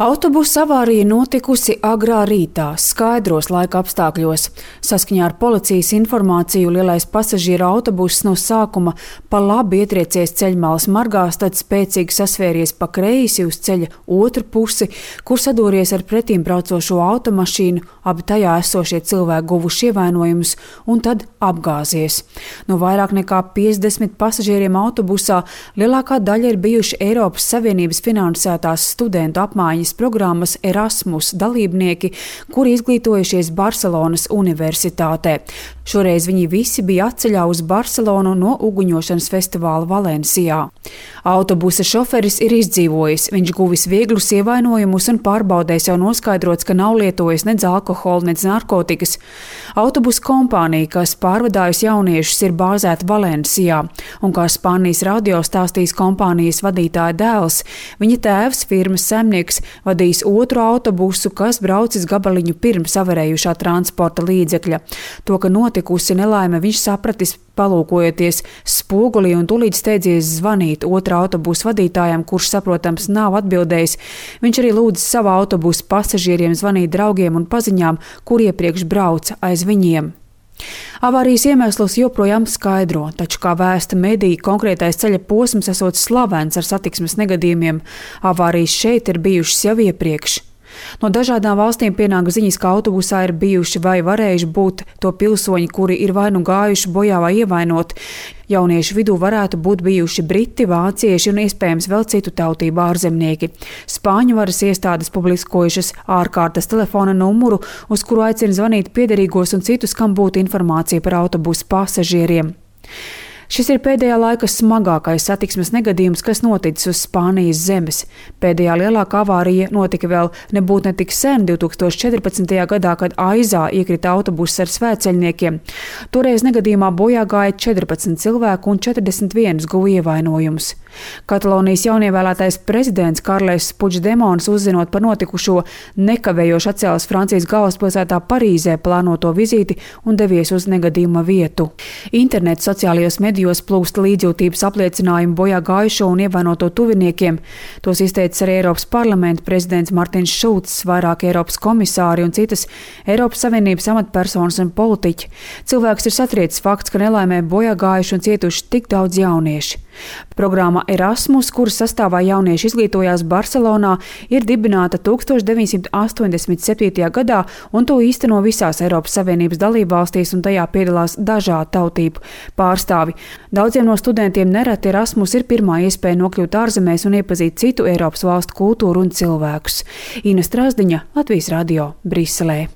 Autobusa avārija notikusi agrā rītā, skaidros laika apstākļos. Saskaņā ar policijas informāciju lielais pasažieru autobuss no sākuma pa labi ietriecies ceļmalas margās, tad spēcīgi sasvēries pa kreisi uz ceļa otru pusi, kur sadories ar pretīm braucošo automašīnu, abi tajā esošie cilvēki guvuši ievainojumus un tad apgāzies. No vairāk nekā 50 pasažieriem autobusā lielākā daļa ir bijuši Eiropas Savienības finansētās studentu apmaiņas programmas Erasmus dalībnieki, kuri izglītojušies Barcelonas universitātē. Šoreiz viņi visi bija atceļā uz Barcelonu no uguņošanas festivāla Valencijā. Autobusa šoferis ir izdzīvojis, viņš guvis vieglus ievainojumus un pārbaudēs jau noskaidrots, ka nav lietojis nedz alkoholu, nedz narkotikas. Autobusa kompānija, kas pārvadājusi jauniešus, ir bāzēta Valencijā, un kā Spānijas radio stāstīs kompānijas vadītāja dēls, viņa tēvs, firmas saimnieks, vadījis otru autobusu, kas braucis gabaliņu pirms avarējušā transporta līdzekļa. To, ka notikusi nelaime, viņš sapratis, palūkojoties spogulī un tūlīt steidzies zvanīt otrā autobusa vadītājam, kurš, saprotams, nav atbildējis. Viņš arī lūdza savā autobusa pasažieriem zvanīt draugiem un paziņām, kur iepriekš brauca aiz viņiem. Avārijas iemeslus joprojām skaidro, taču, kā vēsta mediji, konkrētais ceļa posms esot slavens ar satiksmes negadījumiem. Avārijas šeit ir bijušas jau iepriekš. No dažādām valstīm pienāk ziņas, ka autobusā ir bijuši vai varējuši būt to pilsoņi, kuri ir vai nu gājuši bojā vai ievainoti. Jauniešu vidū varētu būt bijuši briti, vācieši un iespējams vēl citu tautību ārzemnieki. Spāņu varas iestādes publiskojušas ārkārtas telefona numuru, uz kuru aicina zvanīt piederīgos un citus, kam būtu informācija par autobusu pasažieriem. Šis ir pēdējā laika smagākais satiksmes negadījums, kas noticis uz Spānijas zemes. Pēdējā lielākā avārija notika vēl nebūt ne tik sen, 2014. gadā, kad Aizā iekrita autobuss ar svētceļniekiem. Toreiz negadījumā bojā gāja 14 cilvēku un 41 guva ievainojumus. Katalonijas jaunievēlētais prezidents Karles Puigdemons, uzzinot par notikušo, nekavējoši atcēlis Francijas galvaspilsētā Parīzē plānoto vizīti un devies uz negadījuma vietu. Internets sociālajos medijos plūst līdzjūtības apliecinājumu bojā gājušo un ievainoto tuviniekiem. Tos izteicis arī Eiropas parlamenta prezidents Martins Šulcs, vairāk Eiropas komisāri un citas Eiropas Savienības amatpersonas un politiķi. Cilvēks ir satriecis fakts, ka nelaimē bojā gājuši un cietuši tik daudz jaunieši. Programma Erasmus, kuras sastāvā jaunieši izglītojās Barcelonā, ir dibināta 1987. gadā un to īsteno visās Eiropas Savienības dalībvalstīs un tajā piedalās dažādu tautību pārstāvi. Daudziem no studentiem nereti Erasmus ir pirmā iespēja nokļūt ārzemēs un iepazīt citu Eiropas valstu kultūru un cilvēkus. Ina Strasdiņa, Latvijas radio, Briselē.